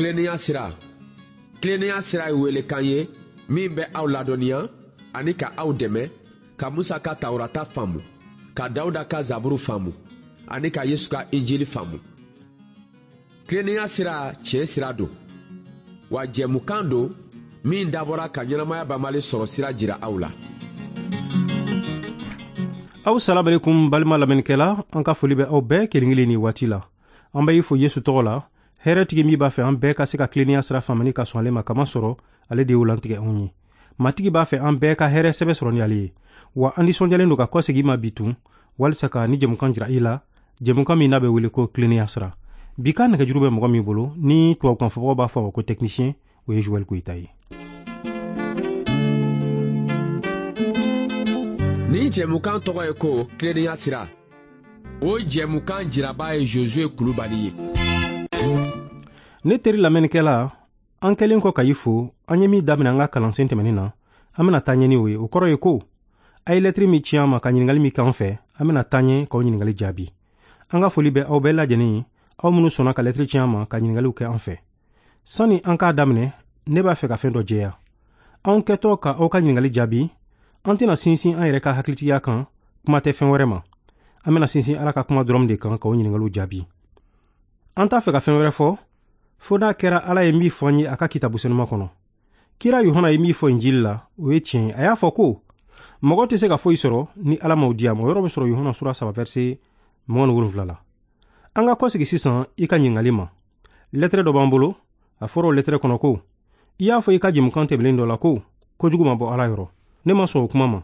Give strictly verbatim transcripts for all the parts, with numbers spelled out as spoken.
Tilennenya sira. Tilennenya sira ye welekan ye min bɛ aw ladɔnniya ani ka aw dɛmɛ ka Musa ka Tawurata faamu, ka Dawuda ka Zaburu faamu ani ka Yesu ka Injili faamu. Tilennenya sira tiɲɛ sira don, wa jɛmukan don min dabɔra ka ɲɛnamaya banbali sɔrɔ sira jira aw la. Aw salamalekun balima lamɛnnikɛla, an ka foli bɛ aw bɛɛ kelen kelen ni waati la. An bɛ i fo Yesu tɔgɔ la, hɛrɛtigi min b'a fɛ an bɛɛ ka se ka tilennenya sira faamani ka sɔn ale ma kama sɔrɔ, ale de y'o lantigɛ anw ye. Matigi b'a fɛ an bɛɛ ka hɛrɛ sɛbɛ sɔrɔ ni ale ye. Wa an nisɔndiyalen don ka kɔsegin ma bi tun, walisa ka ni jɛmukan jira i la, jɛmukan min n'a bɛ wele ko tilennenya sira. Bi ka nɛgɛjuru bɛ mɔgɔ min bolo, ni tubabukan fɔbagaw b'a fɔ a ma ko technicien, o ye Joël Goyita ye. Nin jɛmukan tɔgɔ ye ko tilennenya sira. O jɛmukan jiraba ye Josué Kulubali ye. Ne teri lamɛnnikɛla, an kɛlen kɔ ka i fo, an ye min daminɛ an ka kalansen tɛmɛnen na, an bɛna taa ɲɛ ni o ye. O kɔrɔ ye ko a ye lɛtiri min ci an ma ka ɲininkali min k'an fɛ, an bɛna taa ɲɛ k'aw ɲininkali jaabi. An ka foli bɛ aw bɛɛ lajɛlen ye, aw minnu sɔnna ka lɛtiri ci an ma ka ɲininkaliw kɛ an fɛ. Sani an k'a daminɛ, ne b'a fɛ ka fɛn dɔ jɛya. Anw kɛtɔ ka aw ka ɲininkali jaabi, an tɛna sinsin an yɛrɛ ka hakilitigiya kan, kuma tɛ fɛn wɛrɛ ma. An bɛna sinsin Ala ka kuma dɔrɔn de kan k'aw ɲininkaliw jaabi. An t'a fɛ ka fɛn wɛrɛ fɔ, fo n'a kɛra Ala ye min fɔ an ye a ka kitabu senuma kɔnɔ. Kira Yohana ye min fɔ Injili la, o ye tiɲɛ ye. A y'a fɔ ko mɔgɔ tɛ se ka foyi sɔrɔ ni Ala m'o di a ma. O yɔrɔ bɛ sɔrɔ Yohana sura saba verset mugan ni wolonwula la. An ka kɔsegi sisan i ka ɲininkali ma. Lɛtɛrɛ dɔ b'an bolo, a fɔra o lɛtɛrɛ kɔnɔ ko i y'a fɔ i ka jɛmukan tɛmɛnen dɔ la ko kojugu ma bɔ Ala yɔrɔ. Ne ma sɔn o kuma ma.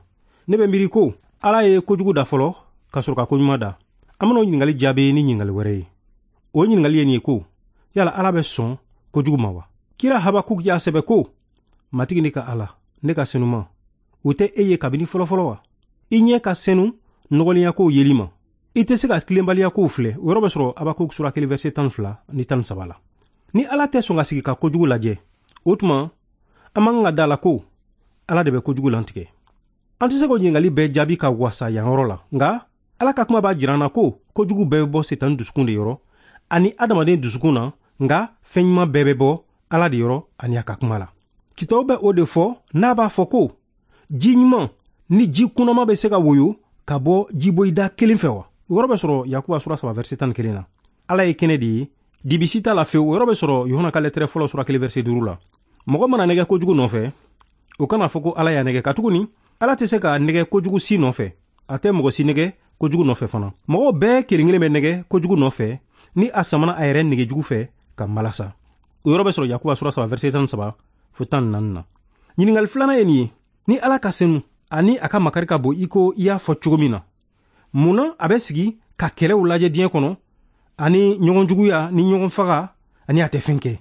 Ne bɛ miiri ko Ala ye kojugu da fɔlɔ ka sɔrɔ ka koɲuman da. An bɛna o ɲininkali jaabi ni ɲininkali wɛrɛ ye. O ɲininkali ye nin ye ko yala Ala bɛ sɔn kojugu ma wa? Kira Habakuk y'a sɛbɛ ko Matigi ne ka Ala, ne ka senuma, o tɛ e ye kabini fɔlɔfɔlɔ wa? I ɲɛ ka senu nɔgɔlenya kow yeli ma. I tɛ se ka tilenbaliya kow filɛ. O yɔrɔ bɛ sɔrɔ Habakuk sura kelen verset tan ni fila ni tan ni saba la. Ni Ala tɛ sɔn ka sigi ka kojugu lajɛ, o tuma an man kan ka da la ko Ala de bɛ kojugu lantigɛ. An tɛ se k'o ɲininkali bɛɛ jaabi ka wasa yan yɔrɔ la, nka Ala ka kuma b'a jira an na ko kojugu bɛɛ bɛ bɔ Sitani dusukun de yɔrɔ ani adamaden dusukun na, nka fɛn ɲuman bɛɛ bɛ bɔ Ala de yɔrɔ ani a ka kuma la. Kitabu bɛ o de fɔ n'a b'a fɔ ko ji ɲuman ni ji kunnama bɛ se ka woyo ka bɔ jiboyida kelen fɛ wa? O yɔrɔ bɛ sɔrɔ Yakuba sura saba verset tan ni kelen na. Ala ye kɛnɛ de ye, dibisi t'a la fewu. O yɔrɔ bɛ sɔrɔ Yohana ka lɛtɛrɛ fɔlɔ sura kelen verset duuru la. Mɔgɔ mana nɛgɛ kojugu nɔfɛ, o kana fɔ ko Ala y'a nɛgɛ, katuguni Ala tɛ se ka nɛgɛ kojugu si nɔfɛ. A tɛ mɔgɔ si nɛgɛ kojugu nɔfɛ fana. Mɔgɔw bɛɛ kelen kelen bɛ nɛgɛ kojugu nɔfɛ ni a samana a yɛrɛ nɛgɛjugu fɛ ka malasa. O yɔrɔ bɛ sɔrɔ Yakuba sura saba verset tan ni saba fo tan ni naani na. Ɲininkali filanan ye nin ye: ni Ala ka senu ani a ka makari ka bon i ko i y'a fɔ cogo min na, mun na a bɛ sigi ka kɛlɛw lajɛ diɲɛ kɔnɔ ani ɲɔgɔn juguya ni ɲɔgɔn faga ani a tɛ fɛn kɛ?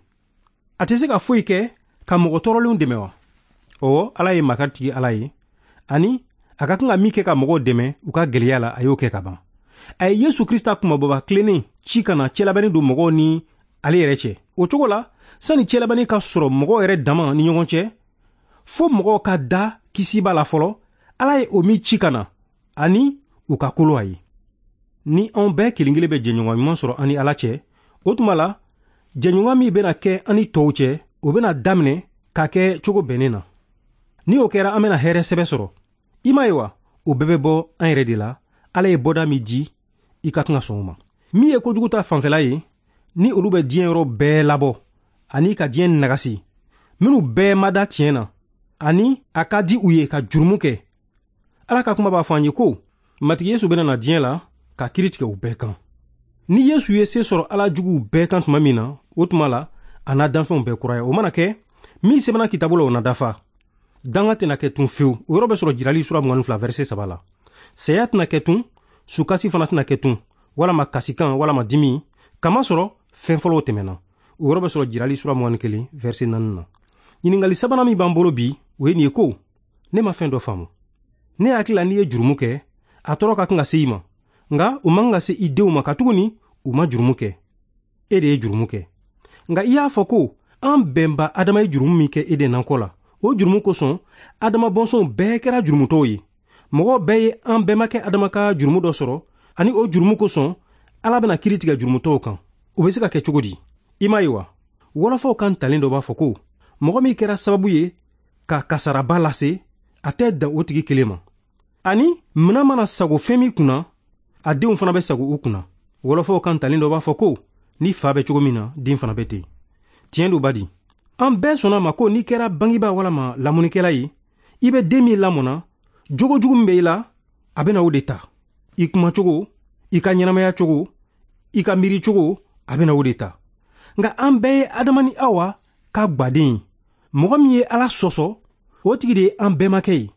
A tɛ se ka foyi kɛ ka mɔgɔ tɔɔrɔlenw dɛmɛ wa? Ɔwɔ, Ala ye makaritigi Ala ye, ani a ka kan ka min kɛ ka mɔgɔw dɛmɛ u ka gɛlɛya la, a y'o kɛ ka ban. A ye Yesu Krista kumababa tilennen ci ka na cɛlabɛnni don mɔgɔw ni ale yɛrɛ cɛ. O cogo la, sani cɛlabɛnni ka sɔrɔ mɔgɔw yɛrɛ dama ni ɲɔgɔn cɛ, fo mɔgɔw ka da kisiba la fɔlɔ, Ala ye o min ci ka na ani u ka kolo a ye. Ni anw bɛɛ kelen kelen bɛ jɛɲɔgɔn ɲuman sɔrɔ an ni Ala cɛ, o tuma la jɛɲɔgɔn min bɛna kɛ an ni tɔw cɛ, o bɛna daminɛ ka kɛ cogo bɛnnen na. Ni o kɛra, an bɛna hɛrɛ sɛbɛ sɔrɔ. I m'a ye wa, o bɛɛ bɛ bɔ an yɛrɛ de la. Ala ye bɔda min di, i ka kan ka sɔn o ma. Min ye kojugu ta fanfɛla ye, ni olu bɛ diɲɛ yɔrɔ bɛɛ labɔ ani ka diɲɛ nagasi, minnu bɛɛ ma da tiɲɛ na ani a ka di u ye ka jurumu kɛ, Ala ka kuma b'a fɔ an ye ko Matigi Yesu bɛna na diɲɛ la ka kiiri tigɛ u bɛɛ kan. Ni Yesu ye se sɔrɔ Ala juguw bɛɛ kan tuma min na, o tuma la a n'a danfɛnw bɛɛ kuraya. O mana kɛ, min sɛbɛnna kitabu la, o na dafa. Danga tɛna kɛ tun fewu. O yɔrɔ bɛ sɔrɔ Jirali sura mugan ni fila verset saba la. Saya tɛna kɛ tun, sukasi fana tɛna kɛ tun, walama kasikan walama dimi, kama sɔrɔ fɛn fɔlɔw tɛmɛna. O yɔrɔ bɛ sɔrɔ Jirali sura mugan ni kelen verset naani na. Ɲininkali sabanan min b'an bolo bi, o ye nin ye ko ne ma fɛn dɔ faamu. Ne hakili la n'i ye jurumu kɛ, a tɔɔrɔ ka kan ka se i ma, nka o man kan ka se i denw ma, katuguni u ma jurumu kɛ. E de ye jurumu kɛ. Nka i y'a fɔ ko an bɛnba Adama ye jurumu min kɛ Eden nakɔ la, o jurumu kosɔn Adama bɔnsɔnw bɛɛ kɛra jurumutɔw ye. Mɔgɔw bɛɛ ye an bɛnbakɛ Adama ka jurumu dɔ sɔrɔ, ani o jurumu kosɔn Ala bɛna kiiri tigɛ jurumutɔw kan. O bɛ se ka kɛ cogo di? I m'a ye wa? Wɔlɔfɔw kan talen dɔ b'a fɔ ko mɔgɔ min kɛra sababu ye ka kasaraba lase, a tɛ dan o tigi kelen ma. Ani minan mana sago fɛn min kunna, a denw fana bɛ sago u kunna. Wɔlɔfɔw kan talen dɔ b'a fɔ ko ni fa bɛ cogo min na, den fana bɛ ten. Tiɲɛ don badi. An bɛɛ sɔnna ma ko n'i kɛra bangebaa walama lamɔnikɛla ye, i bɛ den min lamɔna, jogo jugu min bɛ i la, a bɛna o de ta. I kumacogo, i ka ɲɛnamaya cogo, i ka miiri cogo, a bɛna o de ta. Nka an bɛɛ ye Adama ni Awa ka gwaden ye. Mɔgɔ min ye Ala sɔsɔ, o tigi de ye an bɛɛmakɛ ye.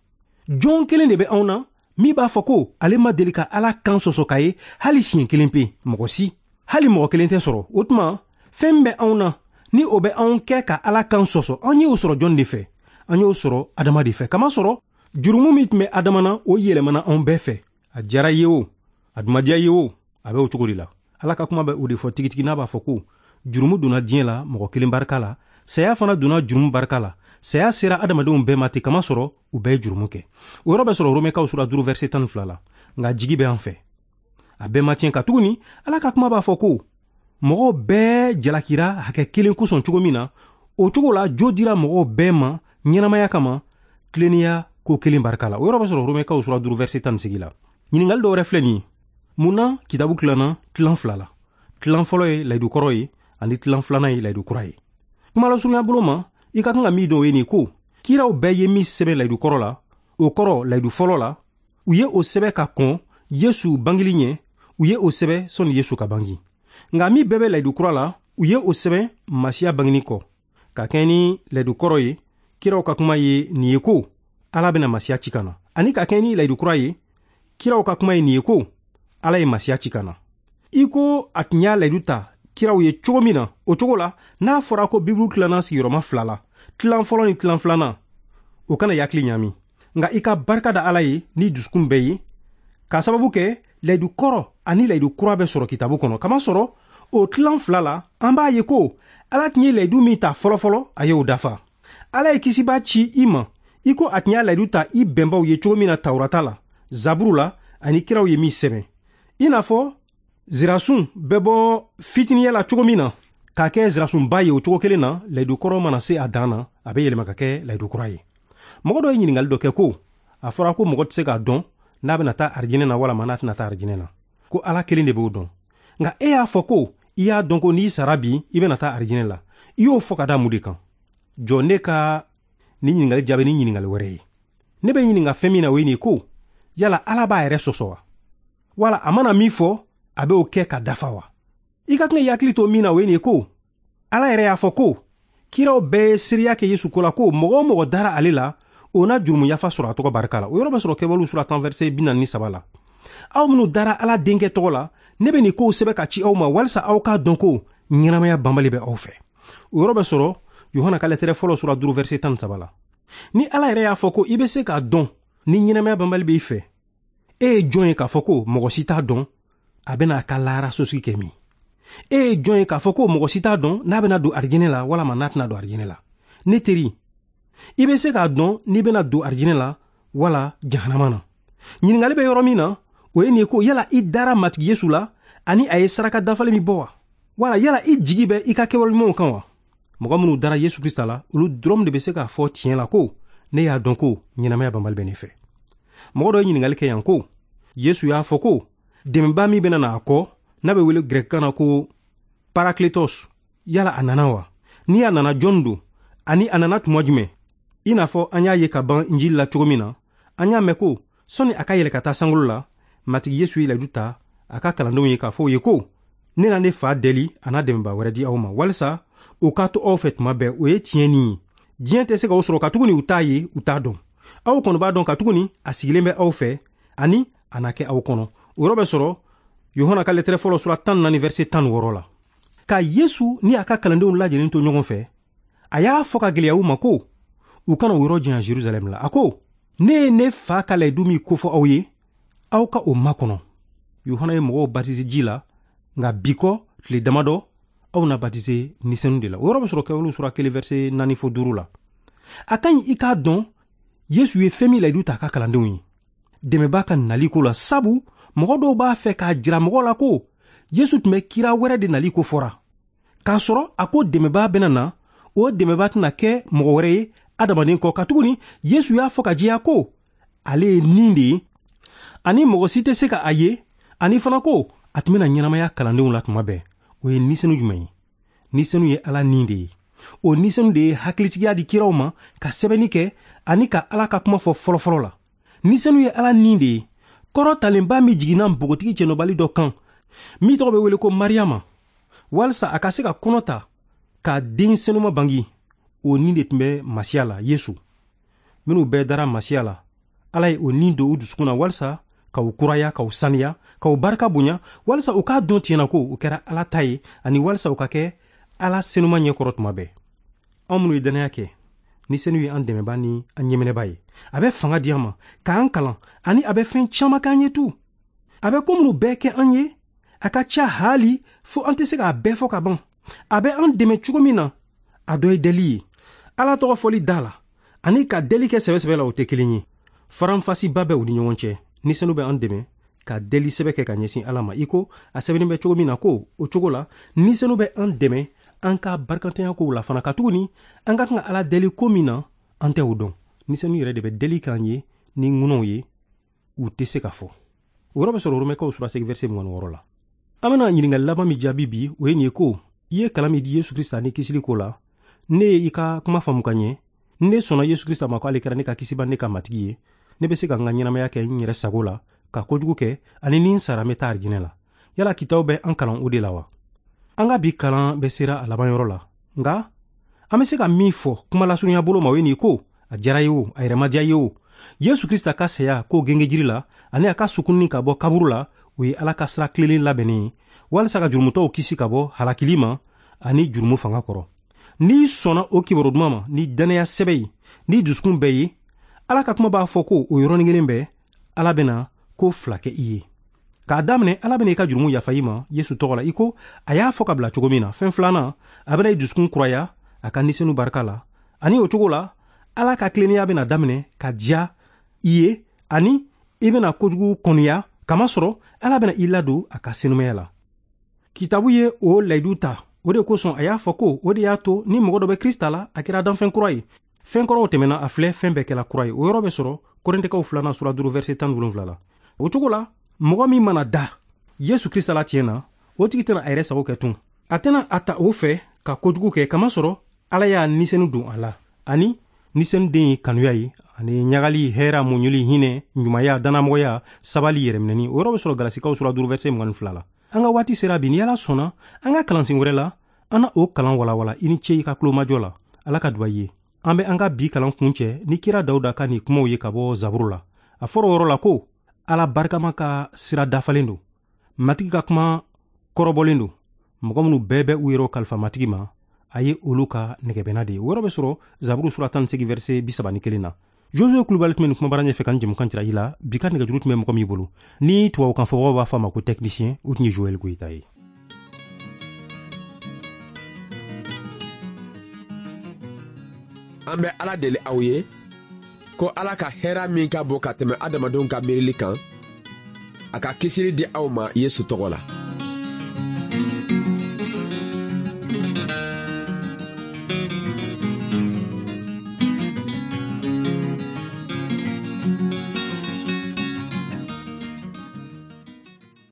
Jɔn kelen de bɛ anw na min b'a fɔ ko ale ma deli ka Ala kan sɔsɔ k'a ye hali siɲɛ kelen pe, mɔgɔ si. Hali mɔgɔ kelen tɛ sɔrɔ. O tuma, fɛn min bɛ anw na ni o bɛ anw kɛ ka Ala kan sɔsɔ, an y'o sɔrɔ jɔn de fɛ? An y'o sɔrɔ Adama de fɛ. Kamasɔrɔ jurumu min tun bɛ Adama na, o yɛlɛmana anw bɛɛ fɛ. A diyara i ye o, a dun ma diya i ye o, a bɛ o cogo de la. Ala ka kuma bɛ o de fɔ tigitigi n'a b'a fɔ ko jurumu donna diɲɛ la mɔgɔ kelen barika la, saya fana donna jurumu barika la. Saya sera adamadenw bɛɛ ma ten, kamasɔrɔ u bɛɛ ye jurumu kɛ. O yɔrɔ bɛ sɔrɔ Romɛkaw sura duuru verset tan ni fila la. Nka jigi bɛ an fɛ, a bɛɛ ma tiɲɛ, katuguni Ala ka kuma b'a fɔ ko mɔgɔw bɛɛ jalakira hakɛ kelen kosɔn cogo min na, o cogo la jo dira mɔgɔw bɛɛ ma ɲɛnamaya kama tilennenya ko kelen barika la. O yɔrɔ bɛ sɔrɔ Romɛkaw sura duuru verset tan ni seegin la. Ɲininkali dɔ wɛrɛ filɛ nin ye. Mun na kitabu tilanna tilan fila la? Tilan fɔlɔ ye layidu kɔrɔ ye, ani tilan filanan ye layidu kura ye. Kuma lasurunya bolo ma, i ka kan ka min dɔn o ye nin ko kiraw bɛɛ ye min sɛbɛn layidu kɔrɔ la, o kɔrɔ layidu fɔlɔ la, u ye o sɛbɛn ka kɔn Yesu bangeli ɲɛ, u ye o sɛbɛn sɔnni Yesu ka bangi. Nka min bɛɛ bɛ layidu kura la, u ye o sɛbɛn Masiya bangeni kɔ. Ka kɛɲɛ ni layidu kɔrɔ ye, kiraw ka kuma ye nin ye ko Ala bɛna Masiya ci ka na. Ani ka kɛɲɛ ni layidu kura ye, kiraw ka kuma ye nin ye ko Ala ye Masiya ci ka na. I ko a tun y'a layidu ta kiraw ye cogo min na, o cogo la n'a fɔra ko Bibulu tilanna sigiyɔrɔma fila la, tilan fɔlɔ ni tilan filanan, o kana yakili ɲami. Nka i ka barika da Ala ye ni dusukun bɛɛ ye, k'a sababu kɛ layidu kɔrɔ ani layidu kura bɛ sɔrɔ kitabu kɔnɔ. Kamasɔrɔ o tilan fila la, an b'a ye ko Ala tun ye layidu min ta fɔlɔfɔlɔ, a y'o dafa. Ala ye kisibaa ci i ma, i ko a tun y'a layidu ta i bɛnbaw ye cogo min na Tawurata la, Zaburu la, ani kiraw ye min sɛbɛn. I n'a fɔ zirasun bɛ bɔ fitiniya la cogo min na k'a kɛ zirasunba ye, o cogo kelen na layidu kɔrɔ mana se a dan na, a bɛ yɛlɛma ka kɛ layidu kura ye. Mɔgɔ dɔ ye ɲininkali dɔ kɛ ko a fɔra ko mɔgɔ tɛ se k'a dɔn n'a bɛna taa arijinɛ na walama n'a tɛna taa arijinɛ na, ko Ala kelen de b'o dɔn. Nka e y'a fɔ ko i y'a dɔn ko n'i sara bi i bɛna taa arijinɛ la, i y'o fɔ ka da mun de kan? Jɔ ne ka nin ɲininkali jaabi ni ɲininkali wɛrɛ ye. Ne bɛ ɲininka fɛn min na, o ye nin ko yala Ala b'a yɛrɛ sɔsɔ wa? Wala a mana min fɔ, a bɛ o kɛ ka dafa wa? I ka kan k'i hakili to min na, o ye nin ye ko Ala yɛrɛ y'a fɔ ko kiraw bɛɛ ye seereya kɛ Yesu ko la, ko mɔgɔ o mɔgɔ dara ale la, o na jurumu yafa sɔrɔ a tɔgɔ barika la. O yɔrɔ bɛ sɔrɔ Kɛwalew sura tan verset bi naani ni saba la. Aw minnu dara Ala denkɛ tɔgɔ la, ne bɛ nin kow sɛbɛn ka ci aw ma walisa aw k'a dɔn ko ɲɛnamaya banbali bɛ aw fɛ. O yɔrɔ bɛ sɔrɔ Yohana ka lɛtɛrɛ fɔlɔ sura duuru verset tan ni saba la. Ni Ala yɛrɛ y'a fɔ ko i bɛ se k'a dɔn ni ɲɛnamaya banbali b'i fɛ, e ye jɔn ye k'a fɔ ko mɔgɔ si t'a dɔn a bɛna a ka lahara sosigi kɛ min? E ye jɔn ye k'a fɔ ko mɔgɔ si t'a dɔn n'a bɛna don arijinɛ la walama n'a tɛna don arijinɛ la? Ne teri, i bɛ se k'a dɔn n'i bɛna don arijinɛ la wala jahanama na. Ɲininkali bɛ yɔrɔ min na, o ye nin ye ko yala i dara Matigi Yesu la ani a ye saraka dafalen min bɔ wa? Wala yala i jigi bɛ i ka kɛwale ɲumanw kan wa? Mɔgɔ minnu dara Yesu Krista la, olu dɔrɔn de bɛ se k'a fɔ tiɲɛ la ko ne y'a dɔn ko ɲɛnamaya banbali bɛ ne fɛ. Mɔgɔ dɔ ye ɲininkali kɛ yan ko Yesu y'a fɔ ko dɛmɛbaa min bɛna na a kɔ, n'a bɛ wele gɛrɛkikan na ko Parakletos, yala a nana wa? Ni a nana, jɔn don? Ani a nana tuma jumɛn? I n'a fɔ an y'a ye ka ban Injili la cogo min na, an y'a mɛn ko sɔnni a ka yɛlɛ ka taa sankolo la, Matigi Yesu ye layidu ta a ka kalandenw ye k'a fɔ u ye ko ne na ne fa deli a n'a dɛmɛbaa wɛrɛ di aw ma walisa o ka to aw fɛ tuma bɛɛ. O ye tiɲɛ nin ye. Diɲɛ tɛ se k'aw sɔrɔ katuguni u t'a ye, u t'a dɔn. Aw kɔni b'a dɔn katuguni a sigilen bɛ aw fɛ ani a na kɛ aw kɔnɔ. O yɔrɔ bɛ sɔrɔ Yohana ka lɛtɛrɛ fɔlɔ sura tan naani verset tan ni wɔɔrɔ la. Ka Yesu ni a ka kalandenw lajɛlen to ɲɔgɔn fɛ, a y'a fɔ ka gɛlɛya u ma ko u kana o yɔrɔ janya Jerusalɛm la. A ko ne ye ne fa ka layidu min kofɔ aw ye, aw ka o makɔnɔ. Yohana ye mɔgɔw batise ji la, nka bi kɔ tile damadɔ aw na batise Ni Senu de la. O yɔrɔ bɛ sɔrɔ Kɛwalew sura kelen verset naani fo duuru la. A ka ɲi i k'a dɔn Yesu ye fɛn min layidu ta a ka kalandenw ye dɛmɛbaa ka nali ko la, sabu mɔgɔ dɔw b'a fɛ k'a jira mɔgɔw la ko Yesu tun bɛ kira wɛrɛ de nali ko fɔra. K'a sɔrɔ a ko dɛmɛbaa bɛna na, o dɛmɛbaa tɛna kɛ mɔgɔ wɛrɛ ye adamaden kɔ, katuguni Yesu y'a fɔ ka jɛya ko ale ye nin de ye, ani mɔgɔ si tɛ se ka a ye, ani fana ko a tun bɛna ɲɛnamaya kalandenw la tuma bɛɛ. O ye nisenu jumɛn ye? Nisenu ye Ala nin de ye. O nisenu de ye hakilitigiya di kiraw ma ka sɛbɛnni kɛ ani ka Ala ka kuma fɔ fɔlɔfɔlɔ la. Nisenu ye Ala nin de ye, kɔrɔtalenba min jiginna npogotigi cɛnɔbali dɔ kan, min tɔgɔ bɛ wele ko Mariyama, walisa a ka se ka kɔnɔ ta ka den senuma bangi. O nin de tun bɛ Masiya la, Yesu. Minnu bɛɛ dara Masiya la, Ala ye o nin don u dusukun na walisa ka u kuraya, ka u saniya, ka u barika bonya, walisa u k'a dɔn tiɲɛna ko u kɛra Ala ta ye, ani walisa u ka kɛ Ala senuma ɲɛkɔrɔ tuma bɛɛ. Anw minnu ye dannaya kɛ, ni senu ye an dɛmɛba ni an ɲɛminɛba ye, a bɛ fanga di an ma k'an kalan, ani a bɛ fɛn caman k'an ye tu. A bɛ ko minnu bɛɛ kɛ an ye, a ka ca haali fo an tɛ se k'a bɛɛ fɔ ka ban. A bɛ an dɛmɛ cogo min na, a dɔ ye deli ye. Ala tɔgɔ fɔli da la ani ka deli kɛ sɛbɛ-sɛbɛ la, o tɛ kelen ye. Faranfasiba bɛ u ni ɲɔgɔn cɛ. Ni senu bɛ an dɛmɛ ka deli sɛbɛ kɛ ka ɲɛsin Ala ma, i ko a sɛbɛnnen bɛ cogo min na ko o cogo la, ni senu bɛ an dɛmɛ an ka barikantanya kow la fana, katuguni an ka kan ka Ala deli ko min na, an tɛ o dɔn. Ni senu yɛrɛ de bɛ deli k'an ye ni ŋunaw ye, u tɛ se ka fɔ. O yɔrɔ bɛ sɔrɔ Romɛkaw sura segin verset mugan ni wɔɔrɔ la. An bɛna ɲininkali laban min jaabi bi, o ye nin ye ko i ye kalan min di Yesu Krista ni kisili ko la, ne ye i ka kuma faamu ka ɲɛ, ne sɔnna Yesu Krista ma ko ale kɛra ne ka kisiba, ne ka matigi ye, ne bɛ se ka n ka ɲɛnamaya kɛ n yɛrɛ sago la, ka kojugu kɛ, ani ni n sara n bɛ taa arijinɛ la. Yala kitaw bɛ an kalan o de la wa? An ka bi kalan bɛ sera a laban yɔrɔ la, nka an bɛ se ka min fɔ kuma lasurunya bolo ma, o ye nin ko a diyara ye o, a yɛrɛ ma diya ye o, Yesu Krista ka saya ko gengejiri la ani a ka sukunni ka bɔ kaburu la, o ye Ala ka sira tilennen labɛnnen ye walisa ka jurumutɔw kisi ka bɔ halakili ma ani jurumu fanga kɔrɔ. N'i sɔnna o kibaru duman ma ni dannaya sɛbɛ ye, ni dusukun bɛɛ ye, Ala ka kuma b'a fɔ ko o yɔrɔnin kelen bɛɛ Ala bɛna ko fila kɛ i ye. K'a daminɛ, Ala bɛna i ka jurumu yafa i ma Yesu tɔgɔ la, i ko a y'a fɔ ka bila cogo min na. Fɛn filanan, a bɛna i dusukun kuraya a ka nisenu barika la, ani o cogo la Ala ka tilennenya bɛna daminɛ ka diya i ye, ani i bɛna kojugu kɔniya, kamasɔrɔ Ala bɛna i ladon a ka senumaya la. Kitabu ye o layidu ta, o de kosɔn a y'a fɔ ko o de y'a to ni mɔgɔ dɔ bɛ Krista la, a kɛra danfɛn kura ye. Fɛn kɔrɔw tɛmɛna, a filɛ fɛn bɛɛ kɛla kura ye. O yɔrɔ bɛ sɔrɔ Korintɛkaw filanan sura duuru verset tan ni wolonwula la. O cogo la, mɔgɔ min mana da Yesu Krista la tiɲɛ na, o tigi tɛna a yɛrɛ sago kɛ tun. A tɛna a ta o fɛ ka kojugu kɛ, kamasɔrɔ Ala y'a nisenu don a la. Ani nisenu den ye kanuya ye, ani ɲagali, hɛra, muɲuli, hinɛ, ɲumanya, dannamɔgɔya, sabali, yɛrɛminɛni. O yɔrɔ bɛ sɔrɔ Galasikaw sura duuru verset mugan ni fila la. An ka waati sera bi, ni Ala sɔnna, an ka kalansen wɛrɛ la, an na o kalan walawala. I ni ce i ka tulomajɔ la. Ala ka duba i ye. An bɛ an ka bi kalan kuncɛ ni kira Dawuda ka nin kumaw ye ka bɔ Zaburu la. A fɔra o yɔrɔ la ko Ala barikama ka sira dafalen don, Matigi ka kuma kɔrɔbɔlen don, mɔgɔ minnu bɛɛ bɛ u yɛrɛw kalifa Matigi ma, a ye olu ka nɛgɛbɛnna de ye. O yɔrɔ bɛ sɔrɔ Zaburu sura tan ni segin verset bi saba ni kelen na. Josue Kulubali tun bɛ nin kumabara ɲɛfɛ ka nin jɛmukan jira i la. Bi ka nɛgɛjuru tun bɛ mɔgɔ min bolo, ni tubabukan fɔbagaw b'a fɔ a ma ko technicien, o tun ye Joël Goyita ye. An bɛ Ala deli aw ye ko Ala ka hɛrɛ min ka bon ka tɛmɛ adamadenw ka miirili kan, a ka kisili di aw ma Yesu tɔgɔ la.